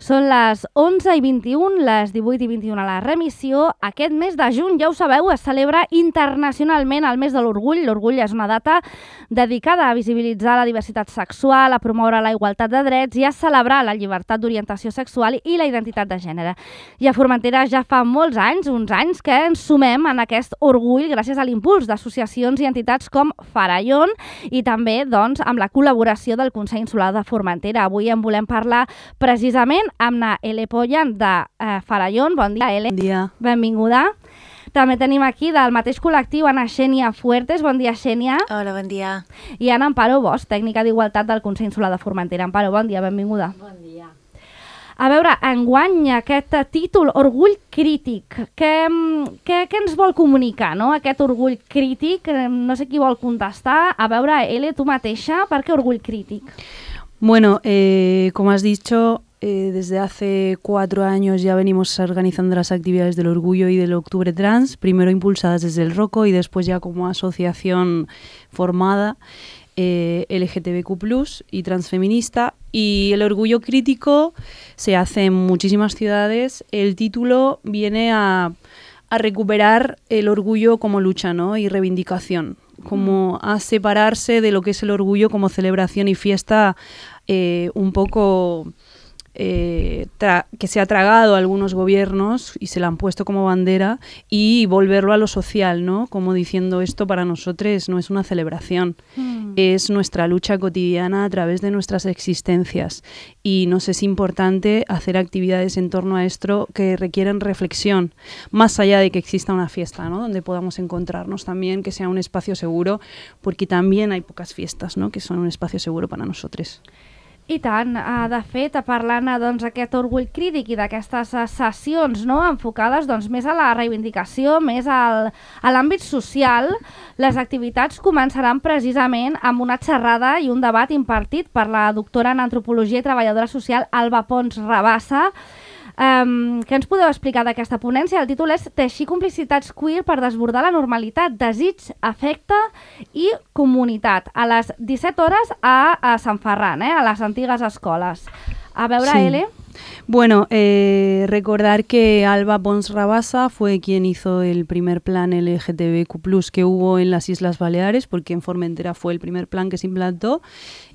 Són les 11:21, les 18:21 a la remissió. Aquest mes de juny, ja ho sabeu, es celebra internacionalment el mes de l'orgull. L'orgull és una data dedicada a visibilitzar la diversitat sexual, a promoure la igualtat de drets i a celebrar la llibertat d'orientació sexual i la identitat de gènere. I a Formentera ja fa molts anys, uns anys, que ens sumem en aquest orgull gràcies a l'impuls d'associacions i entitats com Farallon i també doncs, amb la col·laboració del Consell Insular de Formentera. Avui en volem parlar precisament amb na Ele Pollan de Farallon. Bon dia, Ele. Bon dia. Benvinguda. També tenim aquí del mateix col·lectiu Ana Xènia Fuertes. Bon dia, Xènia. Hola, bon dia. I Ana Amparo Bosch, tècnica d'Igualtat del Consell Insular de Formentera. Amparo, bon dia, benvinguda. Bon dia. A veure, enguany aquest títol, Orgull Crític, què ens vol comunicar, no? Aquest orgull crític, no sé qui vol contestar. A veure, Ele, tu mateixa, per què orgull crític? Bueno, como has dicho, desde hace 4 años ya venimos organizando las actividades del Orgullo y del Octubre Trans, primero impulsadas desde el ROCO y después ya como asociación formada LGTBQ+ y transfeminista. Y el orgullo crítico se hace en muchísimas ciudades. El título viene a recuperar el orgullo como lucha, ¿no? Y reivindicación, como a separarse de lo que es el orgullo como celebración y fiesta un poco que se ha tragado a algunos gobiernos y se la han puesto como bandera, y volverlo a lo social, ¿no? Como diciendo, esto para nosotros no es una celebración, es nuestra lucha cotidiana a través de nuestras existencias, y nos es importante hacer actividades en torno a esto que requieren reflexión, más allá de que exista una fiesta, ¿no? Donde podamos encontrarnos también, que sea un espacio seguro, porque también hay pocas fiestas, ¿no? Que son un espacio seguro para nosotros. I tant, de fet, parlant d'aquest orgull crític i d'aquestes sessions, no, enfocades més a la reivindicació, més a l'àmbit social, les activitats començaran precisament amb una xerrada i un debat impartit per la doctora en Antropologia i treballadora social Alba Pons Rabassa. Què ens podeu explicar d'aquesta ponència? El títol és Teixir complicitats queer per desbordar la normalitat, desig, afecte i comunitat, a les 17 hores a Sant Ferran, a les antigues escoles. A veure, sí. Ele. Bueno, recordar que Alba Pons Rabassa fue quien hizo el primer plan LGTBQ+ que hubo en las Islas Baleares, porque en Formentera fue el primer plan que se implantó.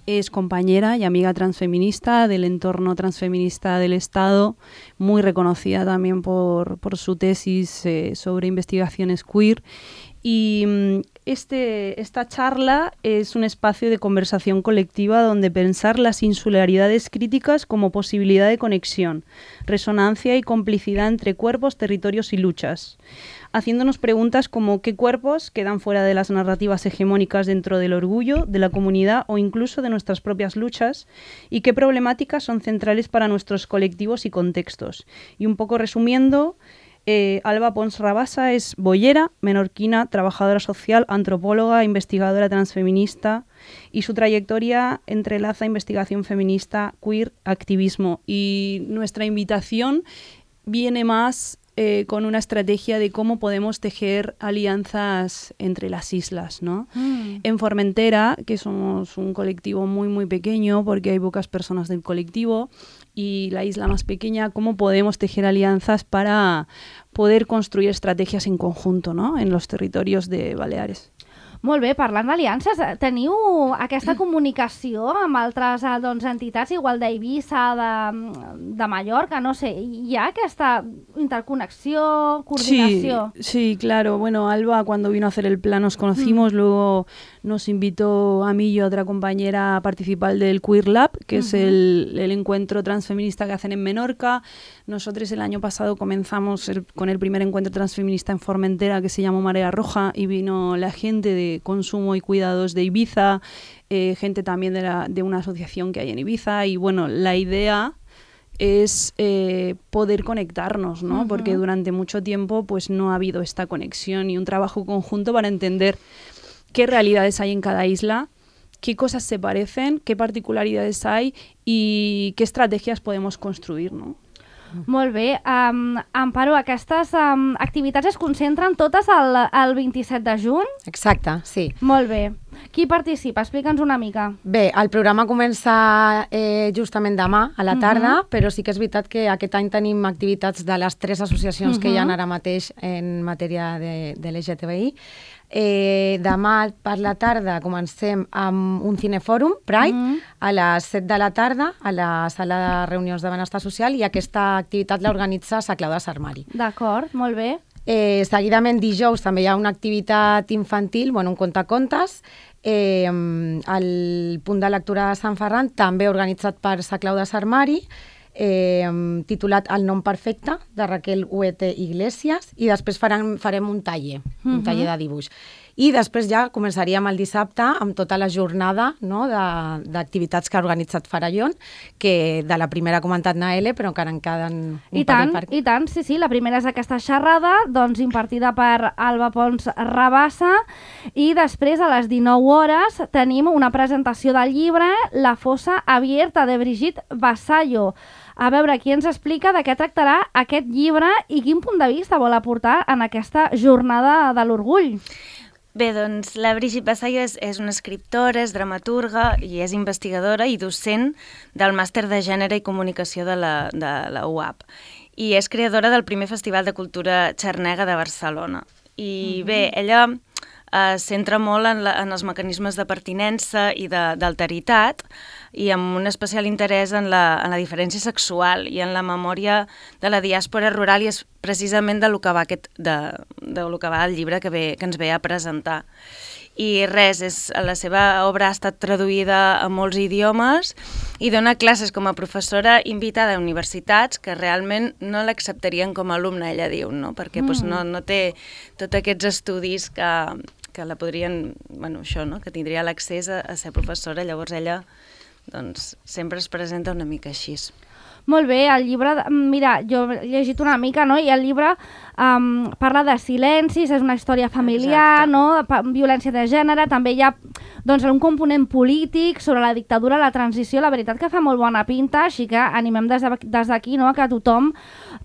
Es compañera y amiga transfeminista del entorno transfeminista del Estado, muy reconocida también por su tesis sobre investigaciones queer. Y esta charla es un espacio de conversación colectiva donde pensar las insularidades críticas como posibilidad de conexión, resonancia y complicidad entre cuerpos, territorios y luchas, haciéndonos preguntas como qué cuerpos quedan fuera de las narrativas hegemónicas dentro del orgullo, de la comunidad o incluso de nuestras propias luchas, y qué problemáticas son centrales para nuestros colectivos y contextos. Y un poco resumiendo, Alba Pons Rabassa es boyera, menorquina, trabajadora social, antropóloga, investigadora transfeminista, y su trayectoria entrelaza investigación feminista, queer, activismo. Y nuestra invitación viene más con una estrategia de cómo podemos tejer alianzas entre las islas, ¿no? En Formentera, que somos un colectivo muy, muy pequeño, porque hay pocas personas del colectivo, y la isla más pequeña, cómo podemos tejer alianzas para poder construir estrategias en conjunto, ¿no? En los territorios de Baleares. Molt bé, parlant d'aliances, teniu aquesta comunicació amb altres entitats, igual d'Eivissa, de Mallorca, no sé, hi ha aquesta interconexión, coordinación? Sí, claro. Bueno, Alba, cuando vino a hacer el plan nos conocimos, luego nos invitó a mí y a otra compañera a participar del Queer Lab, que es el encuentro transfeminista que hacen en Menorca. Nosotros el año pasado comenzamos con el primer encuentro transfeminista en Formentera, que se llamó Marea Roja, y vino la gente de consumo y cuidados de Ibiza, gente también de una asociación que hay en Ibiza, y bueno, la idea es poder conectarnos, ¿no? Porque durante mucho tiempo pues no ha habido esta conexión y un trabajo conjunto para entender qué realidades hay en cada isla, qué cosas se parecen, qué particularidades hay y qué estrategias podemos construir, ¿no? Molt bé. Amparo, aquestes activitats es concentren totes el 27 de juny? Exacte, sí. Molt bé. Qui participa? Explica'ns una mica. Bé, el programa comença justament demà a la tarda, però sí que és veritat que aquest any tenim activitats de les 3 associacions que hi ha ara mateix en matèria de LGTBI. Demà per la tarda comencem amb un cinefòrum, Pride, a les 7 de la tarda a la sala de reunions de benestar social, i aquesta activitat l'organitza Sa Clau de Sarmari. D'acord, molt bé. Seguidament dijous també hi ha una activitat infantil, un contacontes, al punt de lectura de Sant Ferran, també organitzat per Sa Clau de Sarmari, titulat El nom perfecte, de Raquel Huete Iglesias, i després farem un taller de dibuix. I després ja començaríem el dissabte amb tota la jornada, no, d'activitats que ha organitzat Farallón, que de la primera ha comentat Naele, però encara en queden un parell. I tant, sí, la primera és aquesta xerrada, doncs impartida per Alba Pons Rabassa, i després a les 19 hores tenim una presentació del llibre La fossa abierta, de Brigitte Vassallo. A veure, qui ens explica de què tractarà aquest llibre i quin punt de vista vol aportar en aquesta jornada de l'orgull. Bé, doncs la Brigitte Vassallo és una escriptora, és dramaturga i és investigadora i docent del Màster de Gènere i Comunicació de la UAP. I és creadora del primer Festival de Cultura Xarnega de Barcelona. I bé, ella es centra molt en els mecanismes de pertinença i d'alteritat, i amb un especial interès en la diferència sexual i en la memòria de la diàspora rural, i és precisament de lo que va el llibre que ens ve a presentar. I la seva obra ha estat traduïda a molts idiomes i dona classes com a professora invitada a universitats que realment no l'acceptarien com a alumna, ella diu, no? Perquè no té tots aquests estudis que la podrien, això, no? Que tindria l'accés a ser professora, llavors ella doncs sempre es presenta una mica així. Molt bé, el llibre, mira, jo he llegit una mica, no? I el llibre parla de silencis, és una història familiar, no? Violència de gènere, també hi ha doncs, un component polític sobre la dictadura, la transició, la veritat que fa molt bona pinta, així que animem des d'aquí, no?, que tothom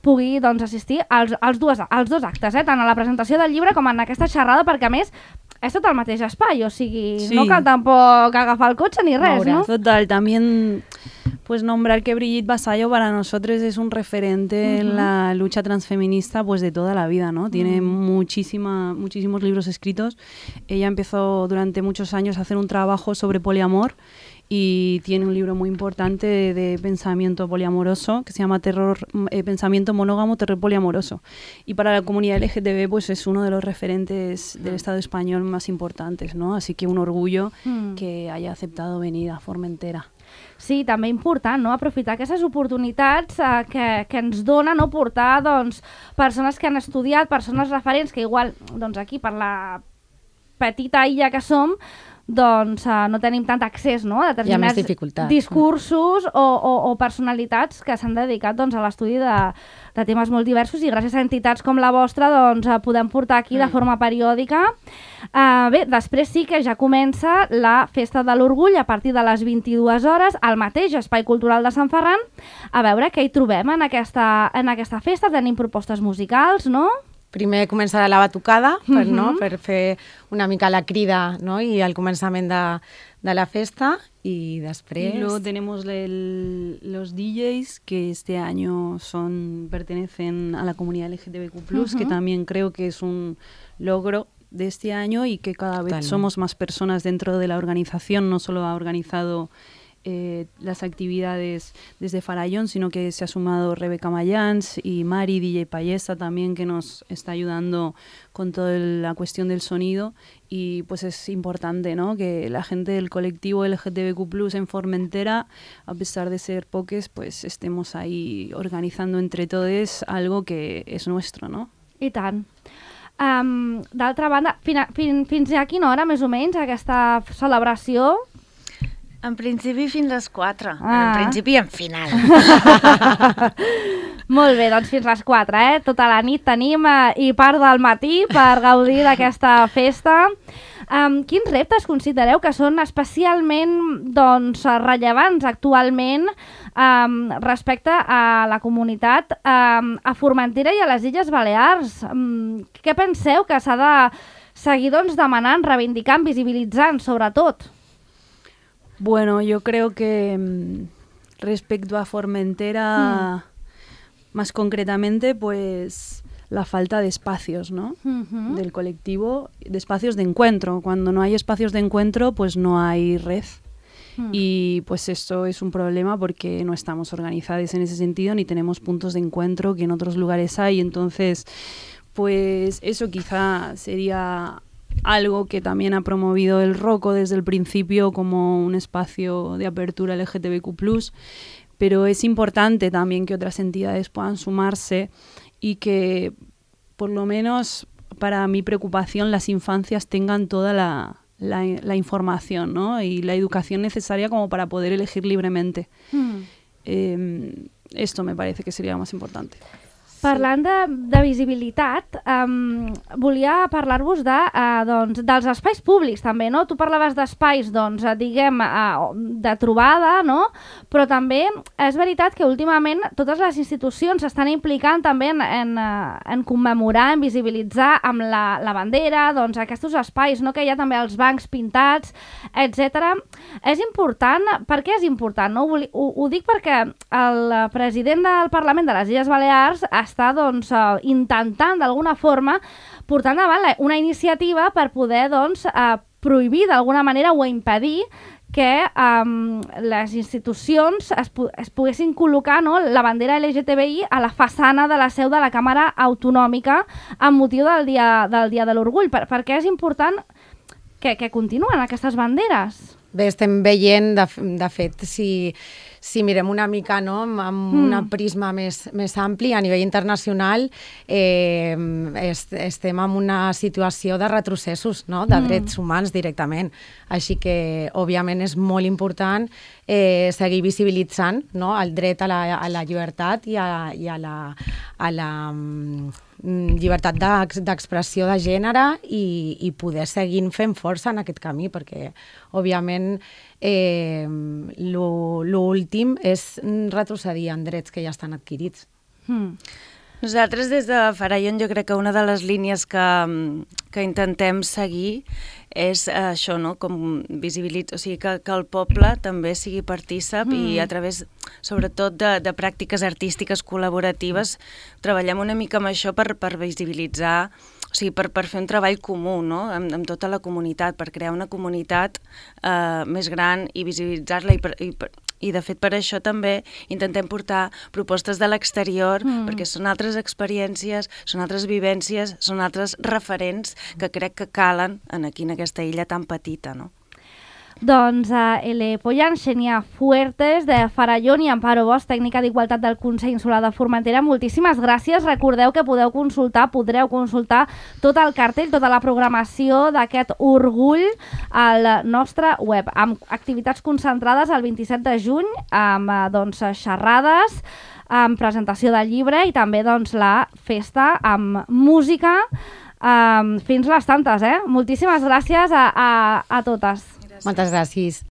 pugui doncs, assistir als dos actes, tant a la presentació del llibre com en aquesta xerrada, perquè a més és tot el mateix espai, o sigui, sí, no cal tampoc agafar el cotxe ni res, ¿no? Total, también pues nombrar que Brigitte Vassallo para nosotros es un referente en la lucha transfeminista pues de toda la vida, ¿no? Tiene muchísimos libros escritos. Ella empezó durante muchos años a hacer un trabajo sobre poliamor y tiene un libro muy importante de pensamiento poliamoroso que se llama Pensamiento monógamo, terror poliamoroso. Y para la comunidad LGTB pues es uno de los referentes del Estado español más importantes, ¿no? Así que un orgullo que haya aceptado venir a Formentera. Sí, també important, no?, aprofitar aquestes oportunitats que ens dona, no?, portar doncs, persones que han estudiat, persones referents que igual doncs, aquí per la petita illa que som doncs no tenim tant accés, no?, a determinats discursos o personalitats que s'han dedicat doncs, a l'estudi de temes molt diversos, i gràcies a entitats com la vostra doncs, podem portar aquí de forma periòdica. Bé, després sí que ja comença la Festa de l'Orgull a partir de les 22 hores al mateix Espai Cultural de Sant Ferran. A veure què hi trobem en aquesta festa. Tenim propostes musicals, no? Primer començarà la batucada per fer una mica la crida, no? I el començament de la festa, y després... Y luego tenemos los DJs que este año pertenecen a la comunidad LGTBQ+, que también creo que es un logro de este año y que cada vez somos más personas dentro de la organización. No solo ha organizado las actividades desde Farallón, sino que se ha sumado Rebeca Mayans y Mari, DJ Payesa también, que nos está ayudando con toda la cuestión del sonido. Y pues es importante, ¿no?, que la gente del colectivo LGTBQ+ en Formentera, a pesar de ser poques, pues estemos ahí organizando entre todos algo que és nuestro, no? I tant. D'altra banda, fins a quina hora més o menys aquesta celebració? En principi fins les 4. En principi i en final. Molt bé, doncs fins les 4, Tota la nit tenim i part del matí per gaudir d'aquesta festa. Quins reptes considereu que són especialment rellevants actualment respecte a la comunitat a Formentera i a les Illes Balears? Què penseu que s'ha de seguir demanant, reivindicant, visibilitzant, sobretot? Bueno, yo creo que respecto a Formentera, más concretamente, pues la falta de espacios, ¿no? Del colectivo, de espacios de encuentro. Cuando no hay espacios de encuentro, pues no hay red. Y pues esto es un problema porque no estamos organizados en ese sentido ni tenemos puntos de encuentro que en otros lugares hay. Entonces, pues eso quizá sería algo que también ha promovido el Roco desde el principio como un espacio de apertura LGTBQ+, pero es importante también que otras entidades puedan sumarse y que, por lo menos para mi preocupación, las infancias tengan toda la información, ¿no? Y la educación necesaria como para poder elegir libremente. Esto me parece que sería más importante. Parlant de visibilitat, volia parlar-vos dels espais públics també, no? Tu parlaves d'espais, diguem, de trobada, no? Però també és veritat que últimament totes les institucions s'estan implicant també en commemorar, en visibilitzar amb la bandera, aquests espais, no? Que hi ha també els bancs pintats, etc. És important, per què és important? No? Ho dic perquè el president del Parlament de les Illes Balears està intentant d'alguna forma portar endavant una iniciativa per poder prohibir d'alguna manera o impedir que les institucions es poguessin col·locar, no, la bandera LGTBI a la façana de la seu de la Càmera Autonòmica amb motiu del Dia de l'Orgull. Per què és important que continuen aquestes banderes? Bé, estem veient, de fet, si mirem una mica, no, amb un prisma més ampli a nivell internacional, estem en una situació de retrocessos, no, de drets humans directament. Així que, òbviament, és molt important seguir visibilitzant, no, el dret a la llibertat i a la llibertat d'expressió de gènere i poder seguir fent força en aquest camí, perquè, òbviament, l'últim és retrocedir en drets que ja estan adquirits. Nosaltres des de Farallon jo crec que una de les línies que intentem seguir és això, no? Com visibilitzar, o sigui, que el poble també sigui partícip i a través, sobretot, de pràctiques artístiques col·laboratives, treballem una mica amb això per visibilitzar, o sigui, per fer un treball comú, no? Amb tota la comunitat, per crear una comunitat més gran i visibilitzar-la i de fet per això també intentem portar propostes de l'exterior perquè són altres experiències, són altres vivències, són altres referents que crec que calen aquí en aquesta illa tan petita, no? Doncs Ele-Poyan, Xenia Fuertes, de Farallon, i Amparo Bosch, tècnica d'Igualtat del Consell Insular de Formentera, moltíssimes gràcies. Recordeu que podreu consultar tot el cartell, tota la programació d'aquest orgull al nostre web, amb activitats concentrades el 27 de juny, amb xerrades, amb presentació del llibre i també la festa amb música fins les tantes. Moltíssimes gràcies a totes. Moltes gràcies.